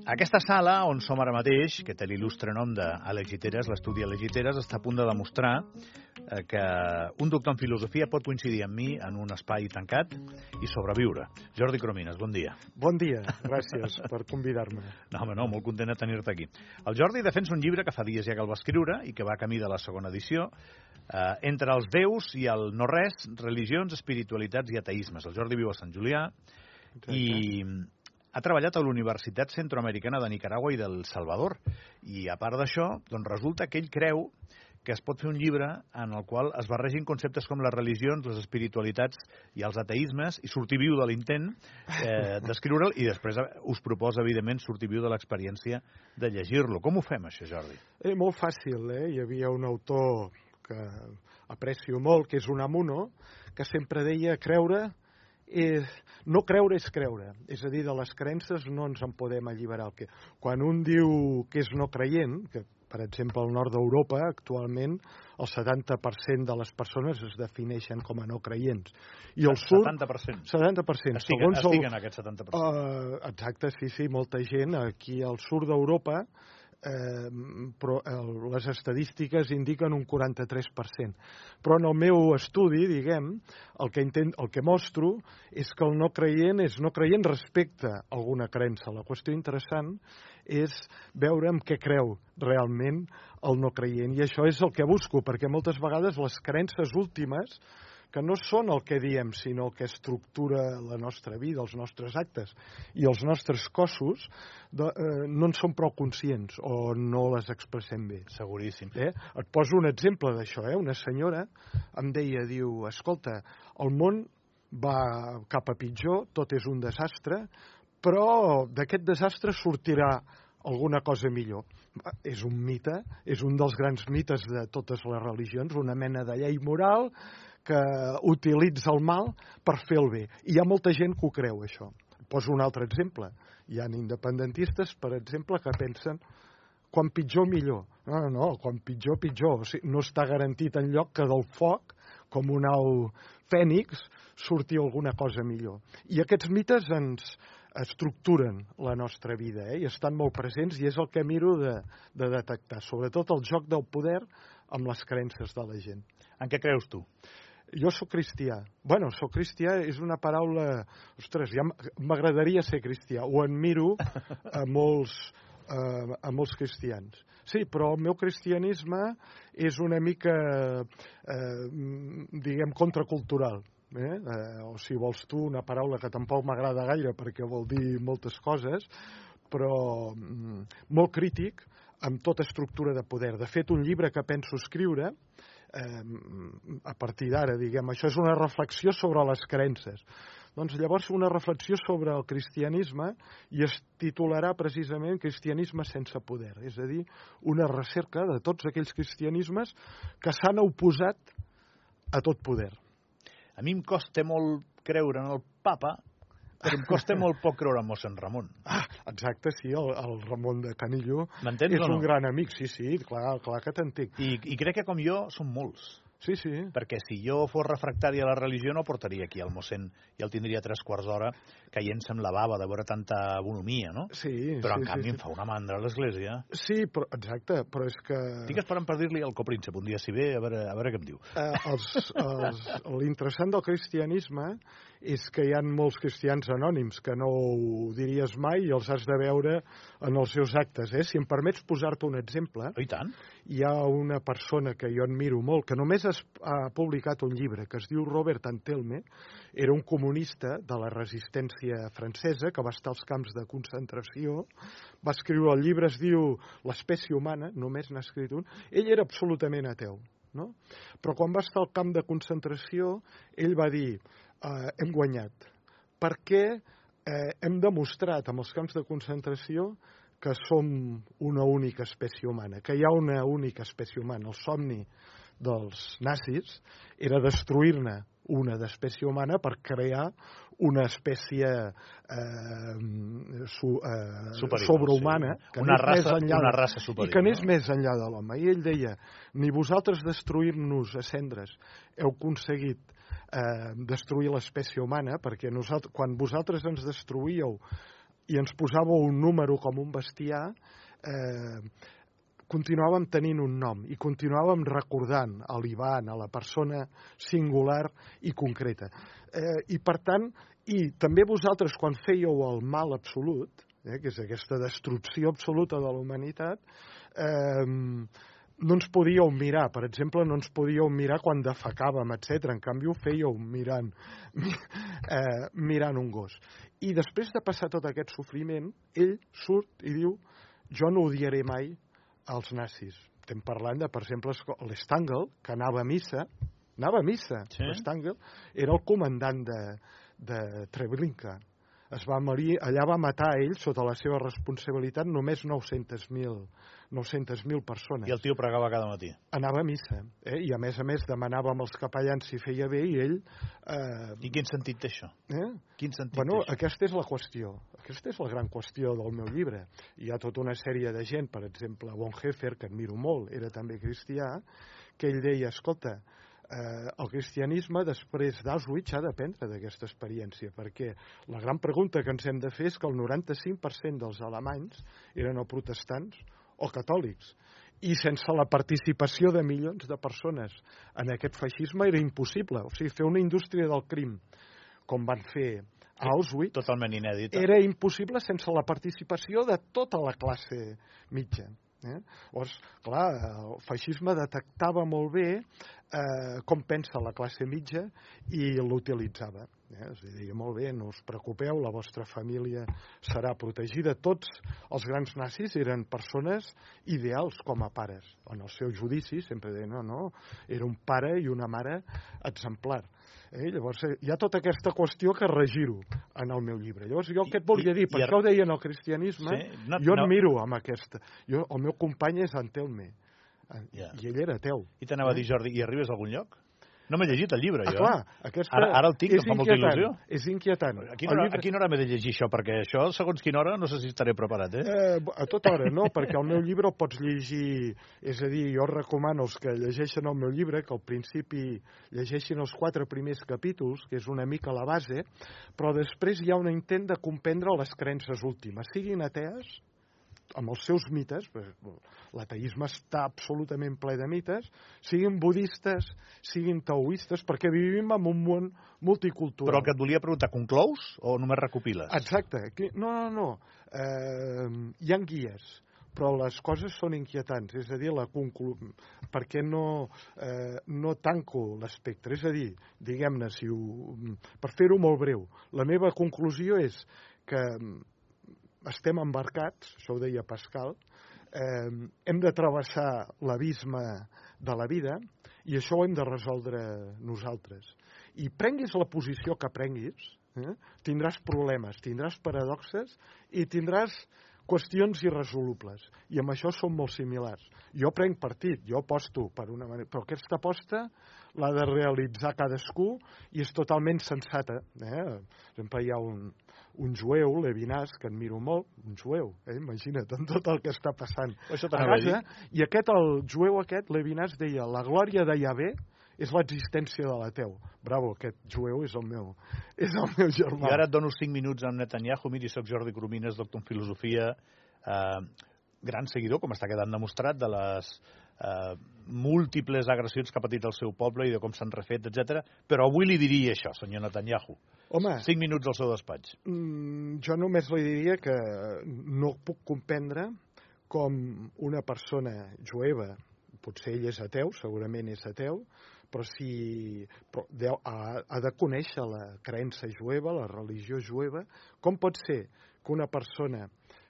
Aquesta sala, on som ara mateix, que té l'il·lustre nom d'Àlex Giteres, l'estudi Àlex Giteres, està a punt de demostrar que un doctor en filosofia pot coincidir amb mi en un espai tancat i sobreviure. Jordi Cromines, bon dia. Bon dia, gràcies per convidar-me. No, home, no, molt content de tenir-te aquí. El Jordi defensa un llibre que fa dies ja que el va escriure i que va camí de la segona edició, Entre els déus i el no-res, religions, espiritualitats i ateismes. El Jordi viu a Sant Julià i ha treballat a la Universitat Centroamericana de Nicaragua i del Salvador. I a part d'això, doncs resulta que ell creu que es pot fer un llibre en el qual es barregin conceptes com les religions, les espiritualitats i els ateismes i sortir viu de l'intent d'escriure'l i després us proposa, evidentment, sortir viu de l'experiència de llegir-lo. Com ho fem, això, Jordi? Molt fàcil, Hi havia un autor que aprecio molt, que és Unamuno, que sempre deia creure... No creure és creure, és a dir, de les creences no ens en podem alliberar. Quan un diu que és no creient, que per exemple al nord d'Europa actualment el 70% de les persones es defineixen com a no creients. I al sud... 70%? 70%. Estic en aquest 70%. Exacte, sí, molta gent. Aquí al sud d'Europa però les estadístiques indiquen un 43%. Però en el meu estudi, diguem, el que mostro és que el no creient és no creient respecte a alguna creença. La qüestió interessant és veure en què creu realment el no creient. I això és el que busco, perquè moltes vegades les creences últimes, que no són el que diem, sinó el que estructura la nostra vida, els nostres actes i els nostres cossos, no en som prou conscients o no les expressem bé. Seguríssim. Et poso un exemple d'això. Una senyora em deia, diu, escolta, el món va cap a pitjor, tot és un desastre, però d'aquest desastre sortirà alguna cosa millor. És un mite, és un dels grans mites de totes les religions, una mena de llei moral que utilitza el mal per fer el bé. I hi ha molta gent que ho creu, això. Poso un altre exemple. Hi ha independentistes, per exemple, que pensen quan pitjor, millor. No, quan pitjor, pitjor. O sigui, no està garantit enlloc que del foc, com un au fènix, surti alguna cosa millor. I aquests mites ens estructuren la nostra vida, i estan molt presents, i és el que miro de detectar, sobretot el joc del poder amb les creences de la gent. En què creus tu? Jo sóc cristià. Bueno, sóc cristià és una paraula... Ostres, ja m'agradaria ser cristià. Ho admiro a molts cristians. Sí, però el meu cristianisme és una mica, diguem, contracultural. O si vols tu, una paraula que tampoc m'agrada gaire perquè vol dir moltes coses, però molt crític amb tota estructura de poder. De fet, un llibre que penso escriure a partir d'ara, diguem, això és una reflexió sobre les creences. Doncs llavors una reflexió sobre el cristianisme i es titularà precisament Cristianisme sense poder, és a dir, una recerca de tots aquells cristianismes que s'han oposat a tot poder. A mi em costa molt creure en el papa, però em costa molt poc creure en mossèn Ramon. Exacte, sí, el Ramon de Canillo és un gran amic, sí, clar que t'entenc. I crec que com jo són molts. Sí. Perquè si jo fos refractari a la religió no portaria aquí el mossèn i el tindria 3/4 d'hora caient-se amb la bava de veure tanta bonomia, no? Sí. Però en canvi em fa una mandra a l'església. Sí, però, exacte, però és que... Estic esperant per dir-li al copríncep un dia si ve, a veure què em diu. L'interessant del cristianisme és que hi ha molts cristians anònims que no ho diries mai i els has de veure en els seus actes. Si em permets posar-te un exemple... I tant. Hi ha una persona que jo admiro molt, que només ha publicat un llibre, que es diu Robert Antelme, era un comunista de la resistència francesa, que va estar als camps de concentració, va escriure el llibre, es diu L'espècie humana, només n'ha escrit un, ell era absolutament ateu, no? Però quan va estar al camp de concentració, ell va dir, hem guanyat, perquè hem demostrat amb els camps de concentració que som una única espècie humana, que hi ha una única espècie humana. El somni dels nazis era destruir-ne una d'espècie humana per crear una espècie sobrehumana, sí. Una raça superior, i que anés més enllà de l'home. I ell deia, ni vosaltres destruir-nos a cendres heu aconseguit destruir l'espècie humana, perquè quan vosaltres ens destruïeu i ens posava un número com un bestiar, continuàvem tenint un nom i continuàvem recordant a l'Ivan, a la persona singular i concreta. I per tant, i també vosaltres quan fèieu el mal absolut, que és aquesta destrucció absoluta de la humanitat, no ens podíeu mirar, per exemple, no ens podíeu mirar quan defecàvem, etc. En canvi, ho fèieu mirant un gos. I després de passar tot aquest sofriment, ell surt i diu: jo no odiaré mai els nazis. Estem parlant de, per exemple, l'Stangl, que anava a missa, sí. L'Stangl era el comandant de Treblinka. Allà va matar ell, sota la seva responsabilitat, només 900.000 persones. I el tio pregava cada matí. Anava a missa, i a més demanava als capellans si feia bé, i ell... I quin sentit té això? Quin sentit té això? Aquesta és la qüestió. Aquesta és la gran qüestió del meu llibre. Hi ha tota una sèrie de gent, per exemple, Bonhoeffer, que admiro molt, era també cristià, que ell deia, escolta, el cristianisme després d'Auschwitz ha d'aprendre d'aquesta experiència, perquè la gran pregunta que ens hem de fer és que el 95% dels alemanys eren o protestants o catòlics, i sense la participació de milions de persones en aquest feixisme era impossible. O sigui, fer una indústria del crim com van fer a Auschwitz totalment inèdita. Era impossible sense la participació de tota la classe mitja. Llavors, clar, el feixisme detectava molt bé com pensa la classe mitja i l'utilitzava. És a dir, molt bé, no us preocupeu, la vostra família serà protegida. Tots els grans nazis eren persones ideals com a pares. En el seu judici sempre deien, no, era un pare i una mare exemplar. Llavors, hi ha tota aquesta qüestió que regiro en el meu llibre. Llavors, jo què et volia dir? Per això ho deia en el cristianisme, jo admiro amb aquesta. El meu company és Antelme, i ell era ateu. I t'anava a dir, Jordi, i arribes a algun lloc? No m'he llegit el llibre, jo. Clar, ara el tinc, em fa molta il·lusió. És inquietant. A quina hora m'he de llegir això? Perquè això, segons quina hora, no sé si estaré preparat, A tota hora, no, perquè el meu llibre el pots llegir... És a dir, jo recomano als que llegeixen el meu llibre que al principi llegeixin els 4 primers capítols, que és una mica la base, però després hi ha un intent de comprendre les creences últimes, siguin atees, amb els seus mites, l'ateisme està absolutament ple de mites, siguin budistes, siguin taoistes, perquè vivim en un món multicultural. Però el que et volia preguntar, conclous o només recopiles? Exacte. No. Hi ha guies, però les coses són inquietants. És a dir, per què no tanco l'espectre? És a dir, diguem-ne, per fer-ho molt breu, la meva conclusió és que estem embarcats, això ho deia Pascal, hem de travessar l'abisme de la vida i això ho hem de resoldre nosaltres. I prenguis la posició que prenguis, tindràs problemes, tindràs paradoxes i tindràs qüestions irresolubles. I amb això som molt similars. Jo prenc partit, jo aposto per una manera, però aquesta aposta l'ha de realitzar cadascú i és totalment sensata. Sempre hi ha un jueu, Levinas, que admiro molt, un jueu, imagina't, amb tot el que està passant a Gaza, i el jueu aquest, Levinas, deia, la glòria de Yahvé és l'existència de l'ateu. Bravo, aquest jueu és el meu germà. I ara et dono 5 minuts amb Netanyahu. Miri, soc Jordi Coromines, doctor en filosofia, gran seguidor, com està quedant demostrat, de les múltiples agressions que ha patit el seu poble i de com s'han refet, etc. Però avui li diria això, senyor Netanyahu. Home, 5 minuts al seu despatx. Jo només li diria que no puc comprendre com una persona jueva, potser ell és ateu, segurament és ateu, però ha de conèixer la creença jueva, la religió jueva. Com pot ser que una persona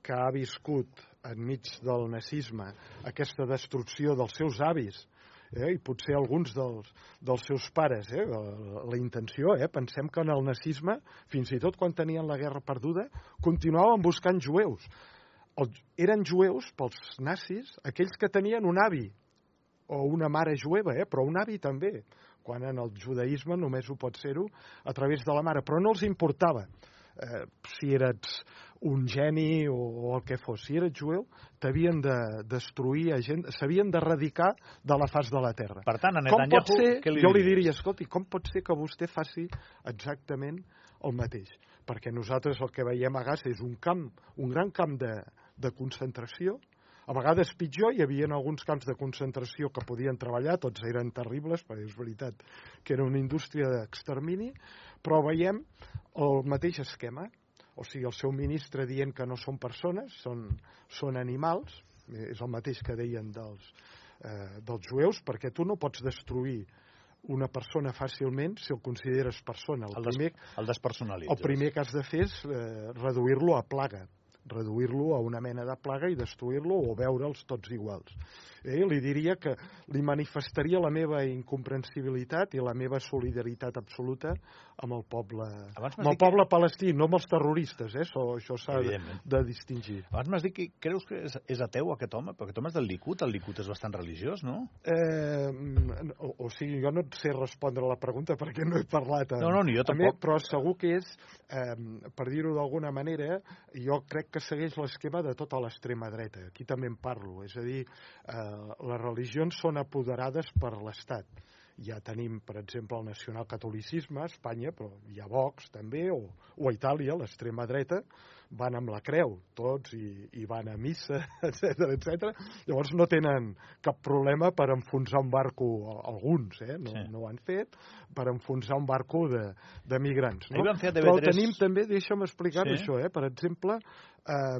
que ha viscut enmig del nazisme aquesta destrucció dels seus avis, i potser alguns dels seus pares, la intenció, pensem que en el nazisme, fins i tot quan tenien la guerra perduda, continuaven buscant jueus. Eren jueus pels nazis aquells que tenien un avi o una mare jueva, però un avi també, quan en el judaïsme només ho pot ser-ho a través de la mare, però no els importava si eres un geni o el que fos. Si eres jueu, t'havien de destruir gent, s'havien d'erradicar de la faç de la terra. Per tant, a Netanyahu, jo li diria, escolti, com pot ser que vostè faci exactament el mateix? perquè nosaltres el que veiem a Gaza és un gran camp de concentració. A vegades pitjor, hi havia alguns camps de concentració que podien treballar, tots eren terribles, perquè és veritat que era una indústria d'extermini, però veiem el mateix esquema. O sigui, el seu ministre dient que no són persones, són animals, és el mateix que deien dels jueus, perquè tu no pots destruir una persona fàcilment si el consideres persona. El despersonalitzes. El primer que has de fer és reduir-lo a plaga, reduir-lo a una mena de plaga i destruir-lo o veure'ls tots iguals. Li diria que li manifestaria la meva incomprensibilitat i la meva solidaritat absoluta amb el poble palestí, no amb els terroristes, això s'ha de distingir. Abans m'has dit que creus que és ateu aquest home, però aquest home és del Likud, el Likud és bastant religiós, no? O sigui, jo no et sé respondre a la pregunta perquè no he parlat No, ni jo tampoc. Però segur que és, per dir-ho d'alguna manera, jo crec que segueix l'esquema de tota l'extrema dreta. Aquí també en parlo, és a dir, les religions són apoderades per l'Estat. Ja tenim, per exemple, el nacionalcatolicisme a Espanya, però hi ha Vox també, o a Itàlia, l'extrema dreta, van amb la creu, tots, i van a missa, etc. Llavors no tenen cap problema per enfonsar un barco, alguns, no ho han fet, per enfonsar un barco de migrants. No? Però tenim també, deixa'm explicar això, per exemple, a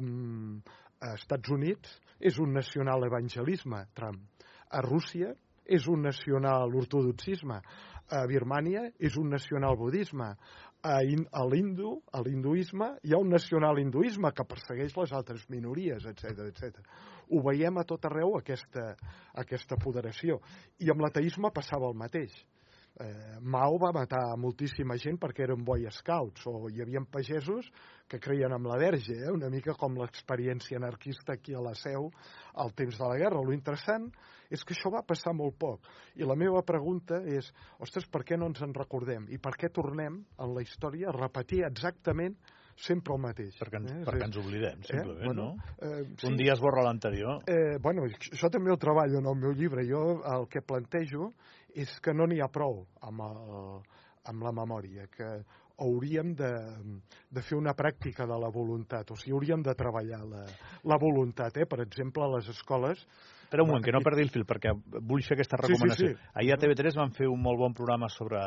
Estats Units és un nacional evangelisme, Trump. A Rússia és un nacional ortodoxisme. A Birmània és un nacional budisme. A l'hinduisme hi ha un nacional hinduisme que persegueix les altres minories, etc. Ho veiem a tot arreu, aquesta apoderació. I amb l'ateisme passava el mateix. Mao va matar moltíssima gent perquè eren Boy Scouts, o hi havia pagesos que creien en la Verge, una mica com l'experiència anarquista aquí a la Seu al temps de la guerra. Lo interessant és que això va passar molt poc. I la meva pregunta és, ostres, per què no ens en recordem? I per què tornem en la història a repetir exactament sempre el mateix? Perquè ens oblidem, simplement, no? Sí. Un dia esborra l'anterior. Això també ho treballo en el meu llibre. Jo el que plantejo és que no n'hi ha prou amb la memòria, que hauríem de fer una pràctica de la voluntat, o sigui, hauríem de treballar la voluntat, per exemple, a les escoles. Espera un moment, que no perdi el fil, perquè vull fer aquesta recomanació. Sí. Ahir a TV3 van fer un molt bon programa sobre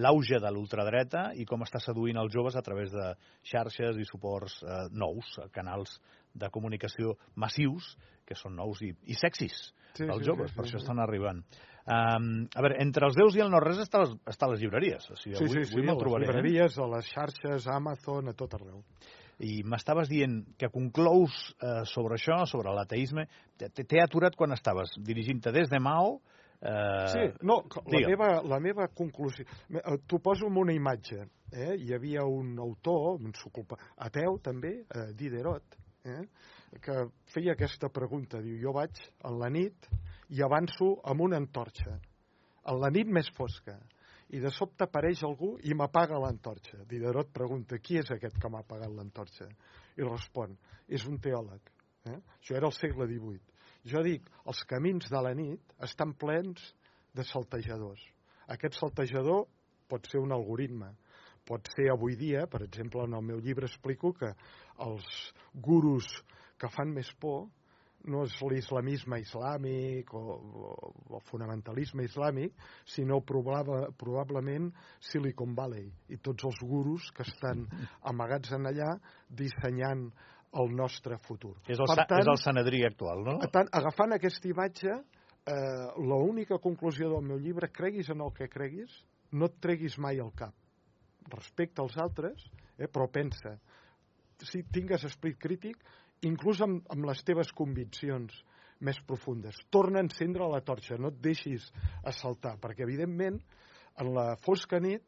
l'auge de l'ultradreta i com està seduint els joves a través de xarxes i suports nous, canals de comunicació massius, que són nous i sexis dels joves, per això estan arribant. A veure, entre els déus i el no-res està a les llibreries. O sigui, avui me'l trobaré. A les llibreries, a les xarxes, a Amazon, a tot arreu. I m'estaves dient que conclous sobre això, sobre l'ateisme. T'he aturat quan estaves dirigint-te des de Mao. La meva conclusió. T'ho poso en una imatge. Hi havia un autor, ateu també, Diderot, que feia aquesta pregunta. Diu, jo vaig a la nit i avanço amb una antorxa, a la nit més fosca, i de sobte apareix algú i m'apaga l'antorxa. Diderot pregunta, qui és aquest que m'ha apagat l'antorxa? I respon, és un teòleg. Això era al segle XVIII. Jo dic, els camins de la nit estan plens de saltejadors. Aquest saltejador pot ser un algoritme, pot ser avui dia, per exemple, en el meu llibre explico que els gurus que fan més por no és l'islamisme islàmic o el fonamentalisme islàmic, sinó probablement Silicon Valley i tots els gurus que estan amagats en allà dissenyant el nostre futur. És el Sanedrí actual, no? Agafant aquesta imatge, l'única conclusió del meu llibre, creguis en el que creguis, no et treguis mai al cap. Respecta als altres, però pensa, si tingues esperit crític, inclús amb les teves conviccions més profundes. Torna a encendre la torxa, no et deixis assaltar, perquè evidentment en la fosca nit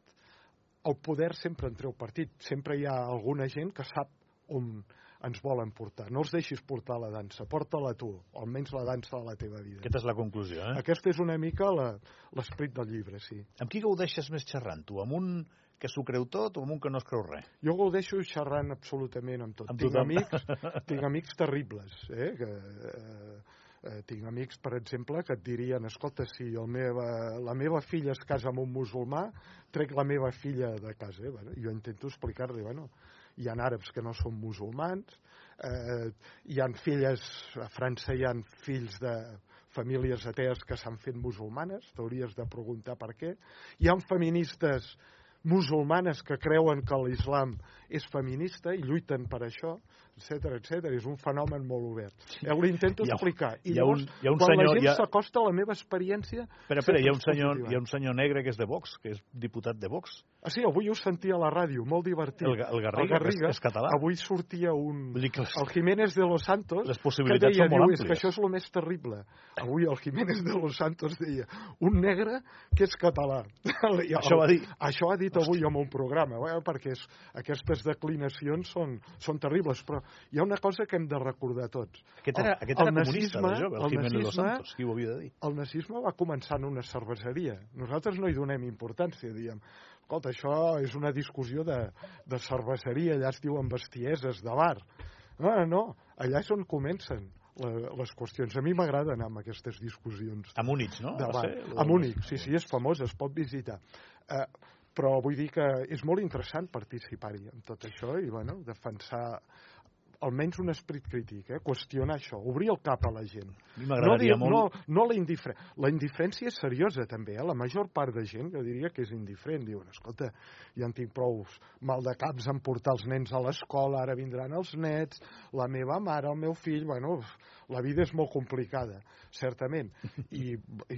el poder sempre en treu partit. Sempre hi ha alguna gent que sap on ens volen portar. No els deixis portar la dansa, porta-la tu, o almenys la dansa de la teva vida. Aquesta és la conclusió, Aquesta és una mica l'esperit del llibre, sí. Amb qui gaudeixes més xerrant, tu? Amb un que s'ho creu tot o amb un que no es creu res? Jo gaudeixo xerrant absolutament amb tot. Tinc amics terribles, Tinc amics, per exemple, que et dirien, escolta, si la meva filla es casa amb un musulmà, trec la meva filla de casa. Bueno, jo intento explicar-li, hi ha àrabs que no són musulmans, hi ha filles, a França hi ha fills de famílies atees que s'han fet musulmanes, t'hauries de preguntar per què. Hi ha feministes musulmanes que creuen que l'islam és feminista i lluiten per això, etc etc. És un fenomen molt obert. Ho intento explicar. I llavors, quan la gent s'acosta a la meva experiència... Espera, hi ha un senyor negre que és de Vox, que és diputat de Vox. Ah, sí, avui ho sentia a la ràdio, molt divertit. El Garriga, és català. Avui sortia el Jiménez de los Santos, que deia, és que això és el més terrible. Avui el Jiménez de los Santos deia, un negre que és català. Això ha dit avui en un programa, perquè aquestes declinacions són terribles, però hi ha una cosa que hem de recordar tots. Aquest era comunista, el Jiménez de los Santos, qui ho havia de dir? El nazisme va començar en una cerveseria. Nosaltres no hi donem importància, diem, escolta, això és una discussió de cerveseria, allà es diuen bestieses de bar. No, allà és on comencen les qüestions. A mi m'agrada anar amb aquestes discussions. A Múnich, no? A Múnich, sí, és famós, es pot visitar. Però vull dir que és molt interessant participar-hi en tot això i, defensar almenys un esperit crític, qüestionar això, obrir el cap a la gent. M'agradaria molt... No la indiferència. La indiferència és seriosa, també. La major part de gent, jo diria que és indiferent. Diuen, escolta, ja en tinc prou mal de caps en portar els nens a l'escola, ara vindran els nets, la meva mare, el meu fill... la vida és molt complicada, certament. I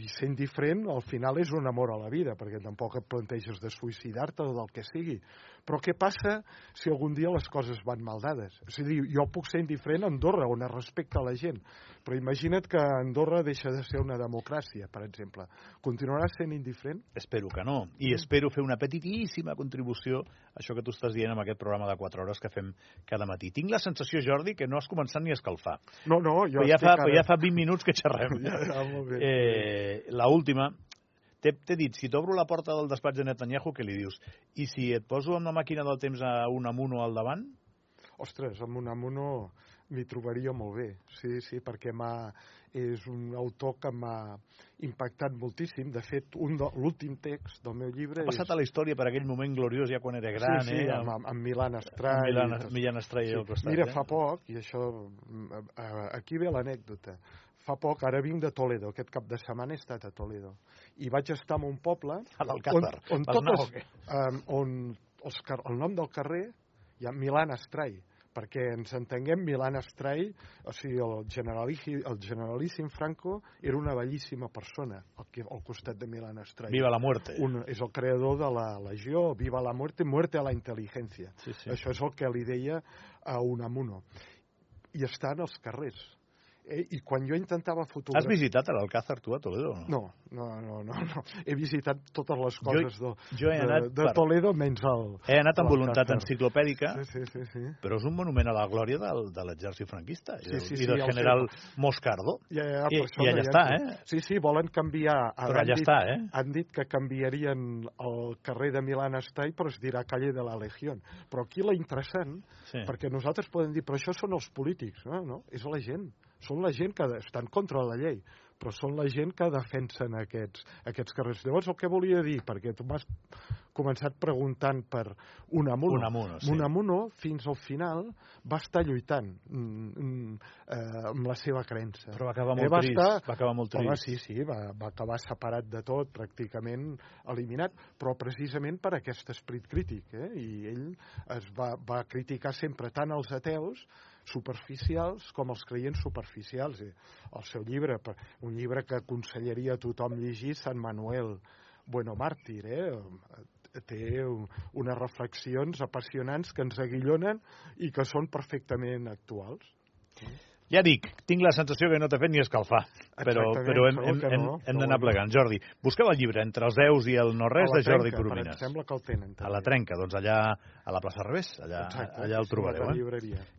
ser indiferent, al final, és un amor a la vida, perquè tampoc et planteges de suïcidar-te o del que sigui. Però què passa si algun dia les coses van mal dades? És a dir, jo puc ser indiferent a Andorra, on es respecta la gent, però imagina't que Andorra deixa de ser una democràcia, per exemple. Continuaràs sent indiferent? Espero que no. I espero fer una petitíssima contribució a això que tu estàs dient amb aquest programa de 4 hores que fem cada matí. Tinc la sensació, Jordi, que no has començat ni a escalfar. No, jo ja fa 20 minuts que xerrem. Molt bé. La última... T'he dit, si t'obro la porta del despatx de Netanyahu, què li dius? I si et poso amb la màquina del temps a Unamuno al davant? Ostres, amb Unamuno m'hi trobaria molt bé. Sí, perquè és un autor que m'ha impactat moltíssim. De fet, l'últim text del meu llibre... Ha passat a la història per aquell moment gloriós ja quan era gran, Sí, amb Milan Astray. Milan Astray al costat. Mira, fa poc, i això... Aquí ve l'anècdota. Fa poc, ara vinc de Toledo, aquest cap de setmana he estat a Toledo. I vaig estar en un poble on el nom del carrer hi ha Milan Astray, perquè ens entenguem, Milan Astray, o sigui, el generalíssim Franco era una bellíssima persona al costat de Milan Astray. Viva la muerte. És el creador de la Legió, Viva la muerte, muerte a la intel·ligència. Sí. Això és el que li deia a Unamuno. I està en els carrers. I quan jo intentava fotografiar... Has visitat l'Alcázar, tu, a Toledo? No. He visitat totes les coses de Toledo, menys el... He anat amb voluntat enciclopèdica, sí. Però és un monument a la glòria de l'exèrcit franquista i del general Moscardo. I allà està, Sí, volen canviar... Però allà està, Han dit que canviarien el carrer de Milan Astray, però es dirà calle de la Legión. Però aquí la interessant, perquè nosaltres podem dir, però això són els polítics, no? És la gent. Són la gent que estan contra la llei, però són la gent que defensen aquests carrers. Llavors, el que volia dir, perquè tu m'has començat preguntant per Unamuno. Unamuno, fins al final, va estar lluitant amb la seva creença. Però va acabar molt trist. Sí, va acabar separat de tot, pràcticament eliminat, però precisament per aquest esperit crític. I ell va criticar sempre tant els ateus superficials com els creients superficials. El seu llibre, un llibre que aconsellaria a tothom llegir, Sant Manuel Bueno Màrtir, té unes reflexions apassionants que ens aguillonen i que són perfectament actuals. Ja dic, tinc la sensació que no t'ha fet ni escalfar, però hem d'anar plegant. Jordi, busqueu el llibre Entre els déus i el no-res de Jordi Coromines. Sembla que el tenen. A la Trenca, doncs allà a la plaça Revés, allà el trobareu.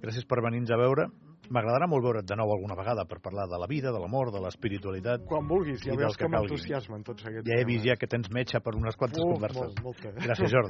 Gràcies per venir-nos a veure. M'agradarà molt veure't de nou alguna vegada per parlar de la vida, de l'amor, de l'espiritualitat. Quan vulguis, ja veus que m'entusiasmen tots aquests temes. Ja he vist que tens metge per unes quantes converses. Gràcies, Jordi.